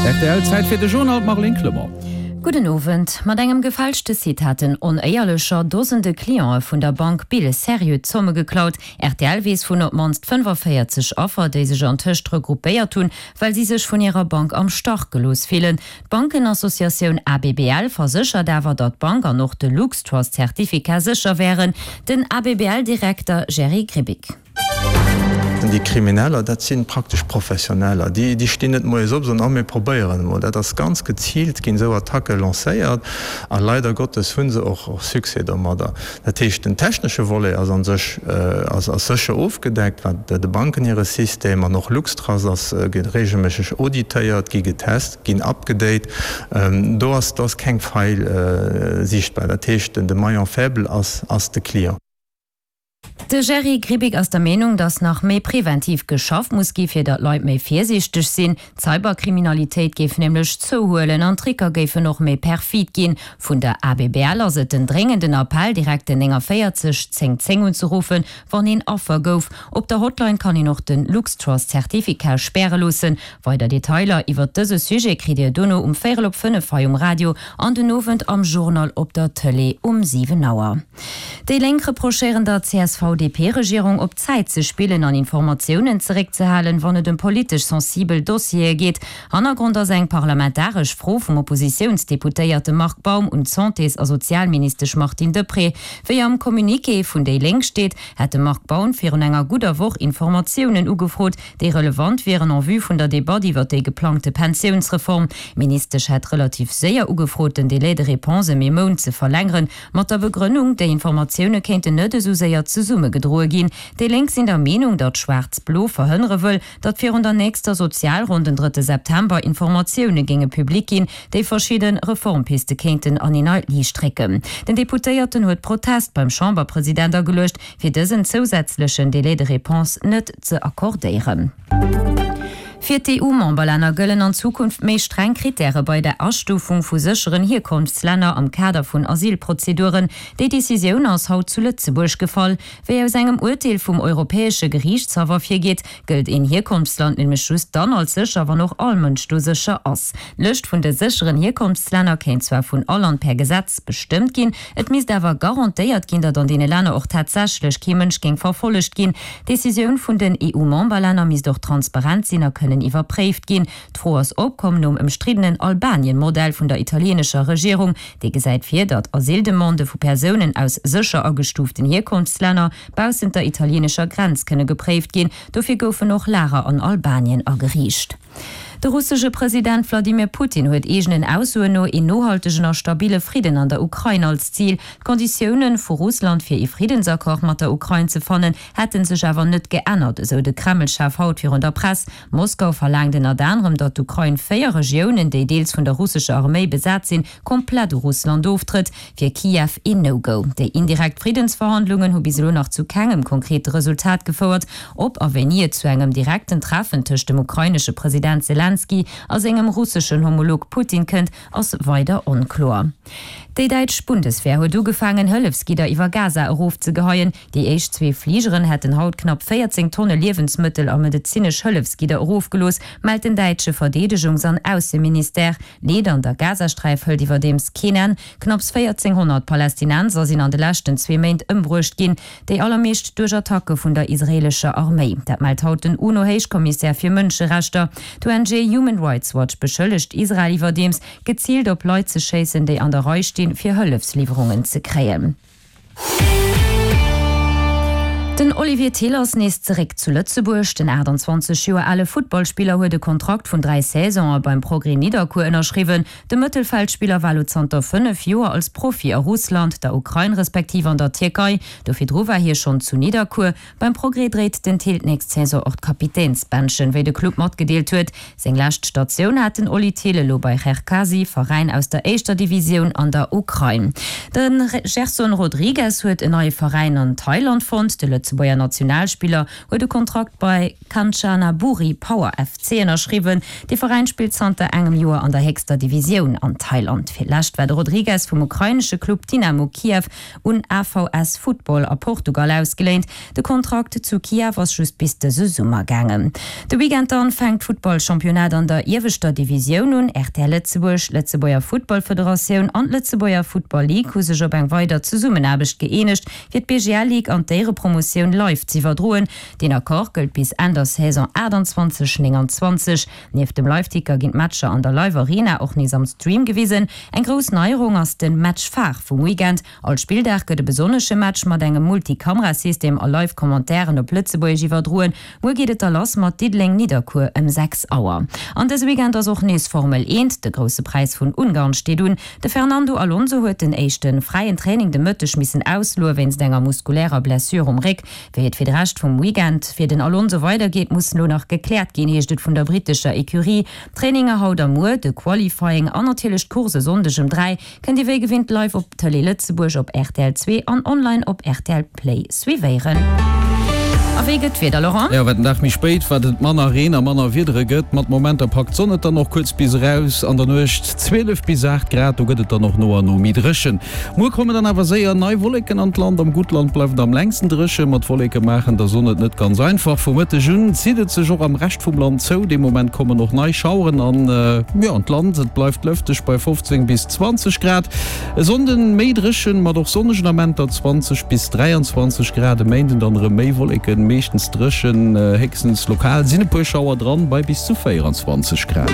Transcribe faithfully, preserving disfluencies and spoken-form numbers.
Rtl, Zäit fir de Journal, d'Marlène Clement. Gudden Owend. Mat engem gefälschte Site haten Onéierlecher Dosende Clientë vun der Bank Bille seriö Zomme geklaut. Rtl weess vun op d'mannst fënnefaféierzeg Affer, déi sech antëscht regroupéiert hunn, well si sech vun hirer Bank am Stach gelooss fillen. D'Bankenassociatioun A B B L verséchert awer, datt d'Bank an och de LuxTrust-Certificat sécher wären. Den A B B L-Direkter Jerry Grbic. Déi Krimineller, dat si praktesch Professioneller, déi déi stinn net moies op, soen, oh mir probéieren emol. Dat ass ganz geziilt, ginn esou Attacke lancéiert a leider Gottes hu se och och Succès domadder. Dat heescht, den technesche Volet ass a sech ass ass sécher ofgedeckt, wat de Banken hire System an och LuxTrust ass, gëtt reegelméisseg auditéiert, gi getest, ginn upgedate. Do ass do ass keng Faille siichtbar. Dat heescht, de Maillon faible ass ass de Client. De Jerry Grbic ass der Meenung, datt nach méi preventiv geschafft muss gi fir datt Leit méi virsiichteg sinn. D'Cyberkriminalitéit géif nämlech zouhuelen an d'Tricker géifen och méi perfid ginn. Vun der A B B L ass et den dréngenden Appell, direkt den néngavéierzeg zéng zéng unzeruffen, wann een Affer gouf. Op der Hotline kann een och de LuxTrust-Certificat späre loossen. Weider Detailer iwwer dëse Sujet kritt Dir dono um véierel op fënnef hei um Radio an den Owend am Journal op der Tëlee um siwen Auer. Déi Lénk reprochéieren der C S V D P-Regierung, op Zäit ze spillen an Informatiounen zeréckzehalen, wann et ëm politesch sensibel Dossiere geet. Hannergrond ass eng parlamentaresch Fro vum Oppositiounsdeputéierte Marc Baum un d'Santés a Sozialministesch Martine Deprez. Wéi am Communiqué vun déi Lénk steet, hätt de Marc Baum virun enger gudder Woch Informatiounen ugefrot, déi relevant wieren en vue vun der Debatt iwwer déi geplangte Pensiounsreform. D'Ministesch hätt relativ séier ugefrot, den Délai de réponse ëm ee Mount ze verlängeren, mat der Begrënnung, déi Informatioune kéinten net esou séier zesummegedroe ginn. Déi Lénk sinn der Meenung, datt Schwaarz-Blo verhënnere wëll, datt virun der nächster Sozialronn den drëtte September Informatioune géinge public ginn, déi verschidde Reformpiste kéinten an een neit Liicht récken. Den Deputéierten huet Protest beim Chamberpresident ageluecht, fir dësen zousätzlechen Délai de réponse net ze accordéieren. Fir d'E U-Memberlänner gëllen an Zukunft méi streng Krittäre bei der Astufung vu sécheren Hierkonftslänner am Kader vun Asylprozeduren. Déi Decisioun ass haut zu Lëtzebuerg gefall. Wéi aus engem Urteel vum Europäesche Geriichtshaff ervirgeet, gëllt een Hierkonftsland nämlech just dann als sécher, wann och all Mënsch do sécher ass. D'Lëscht vun de sécheren Hierkonftslänner kéint zwar vun all Land per Gesetz bestëmmt ginn, et misst awer garantéiert ginn, datt an deene Länner och tatsächlech kee Mënsch géing verfollegt ginn. D'Decisioun vun den E U-Memberlänner misst och transparent sinn a kënnen iwwerpréift ginn. D'Fro ass opkomm nom ëmstriddenen Albanien-Modell vun der italieenescher Regierung. Dee gesäit vir, datt Asyldemandë vu Persounen aus sécher agestuuften Hierkonftslänner baussent der italieenescher Grenz kënne gepréift ginn. Dofir goufen och Lager an Albanien ageriicht. De russesche President Wladimir Putin huet eegenen Aussoen no een nohaltegen a stabille Fridden an der Ukrain als Zil. D'Konditioune vu Russland fir ee Friddensaccord mat der Ukrain ze fannen, hätte sech awer net geännert, esou de Kremlchef haut virun der Press. Moskau verlaangt ënnert anerem, datt d'Ukrain véier Regiounen, déi deels vun der russescher Arméi besat sinn, komplett u Russland oftrëtt. Fir Kiew een No-Go. Déi indirekt Friddensverhandlungen hu bis elo nach zu kengem konkrete Resultat gefouert. Ob a wéini et zu engem direkten Treffen tëscht dem ukrainesche President Selenskyj a sengem russeschen Homolog Putin kënnt, ass weider onkloer. Déi däitsch Bundeswehr huet ugefaangen, Hëllefsgidder iwwer Gaza erofzegeheien. Déi éischt zwee Fligeren hätten haut knapp véierzéng Tonne Liewensmëttel a medezinesch Hëllefsgidder erofgelooss, mellt den däitsche Verdeedegungs an Ausseministère. D'Leed an der Gazasträif hëlt iwwerdeems keen Enn. Knapps véierzénghonnert Palästinenser sinn an de leschten zwee Méint ëmbruecht ginn, déi allermeescht duerch Attacke vun der israeelescher Arméi. Dat mellt haut den UNO-Héichkommissär fir Mënscherechter. D'O N G Human Rights Watch beschëllegt Israel iwwerdeems, geziilt op Leit ze schéissen, déi an der Rei stinn, fir Hëllefsliwwerungen ze kréien. Den Olivier Thill ass nees zeréck zu Lëtzebuerg. Den aachtanzwanzeg Joer ale Futtballspiller huet e Kontrakt vun dräi Saisone beim Progrès Nidderkuer ënnerschriwwen. De Mëttelfeldspiller war elo zanter fënnef Joer als Profi a Russland, der Ukrain respektiv an der Tierkei. Do virdru war hie schonn zu Nidderkuer. Beim Progrès dréit den Thill d'nächst Saison och d'Kapitänsbändchen, wéi de Club matgedeelt huet. Seng lescht Statioun hat den Oli Thill elo bei Cherkasy, Veräin aus der éischter Divisioun an der Ukrain. De Gerson Rodrigues huet en neie Veräin an Thailand fonnt. De Lëtzebuerger Nationalspiller huet e Kontrakt bei Kanchanaburi Power F C ënnerschriwwen. De Veräin spillt zanter engem Joer an der héchster Divisioun an Thailand. Fir d'lescht war de Rodrigues vum ukrainesche Club Dynamo Kiew un A V S Football a Portugal ausgeléint. De Kontrakt zu Kiew ass just bis dëse Summer gaangen. De Weekend dann fänkt d'Futtballchampionnat an der ieweschter Divisioun un. R T L Lëtzebuerg, d'Lëtzebuerger Futtballfederatioun an d'Lëtzebuerger Futtball Ligue hu sech op eng weider Zesummenaarbecht gëeenegt, fir d'B G L Ligue an d'Éierepromotioun live z'iwwerdroen. Deen Accord gëllt bis Enn der Saison achtanzwanzeg nénganzwanzeg. Nieft dem Liveticker ginn d'Matcher an der Live Arena och nees am Stream gewisen. Eng grouss Neierung ass de Match phare vum Weekend. All Spilldag gëtt e besonnesche Match mat engem Multikamerasystem a Live-Commentairen op Lëtzebuergesch iwwerdroen. Muer geet et da lass mat Diddeleng-Nidderkuer ëm sechs Auer. An dëse Weekend ass och nees Formel eent, de Grousse Präis vun Ungarn steet un. De Fernando Alonso huet den éischte fräien Training de Mëtteg missen ausloe wéinst enger muskulärer Blessure um Réck. Wéi et fir de Rescht vum Weekend fir den Alonso weidergeet, muss lo nach gekläert ginn, heescht et vun der brittescher Ecurie. D'Traininger haut a muer, de Qualifying an natierlech d'Course e Sonndeg ëm dräi kënnt Dir wéi gewinnt live op Tëlee Lëtzebuerg op R T L zwee an online op R T L Play suivéieren. A wéi gëtt d'Wieder, Laurent? Jo, wat den Dag méi spéit, wat et manner Reen a manner Wiedere gëtt. Mat Momenter packt d'Sonn et dann och kuerz bis eraus. An der Nuecht zwielef bis aacht Grad, do gëtt et dann och no an no méi dréchen. Muer kommen dann awer séier nei Wolleken an d'Land. Am Guttland bleift et am längsten dréchen, ma d'Wolleke maachen der Sonn et net ganz einfach. Vum Mëtteg un zitt et sech och am Rescht vum Land zou. Dee Moment kommen och nei Schaueren an, jo, an d'Land. Et bleift lëfteg bei fofzéng bis zwanzeg Grad. E Sonnden méi dréchen, mat och sonnegen Amenter, zwanzeg bis dräianzwanzeg Grad. E Méinden dann erëm méi Wolleken, meeschtens dréchen, héchstens lokal sinn e puer Schauer dran, bei bis zu véieranzwanzeg Grad.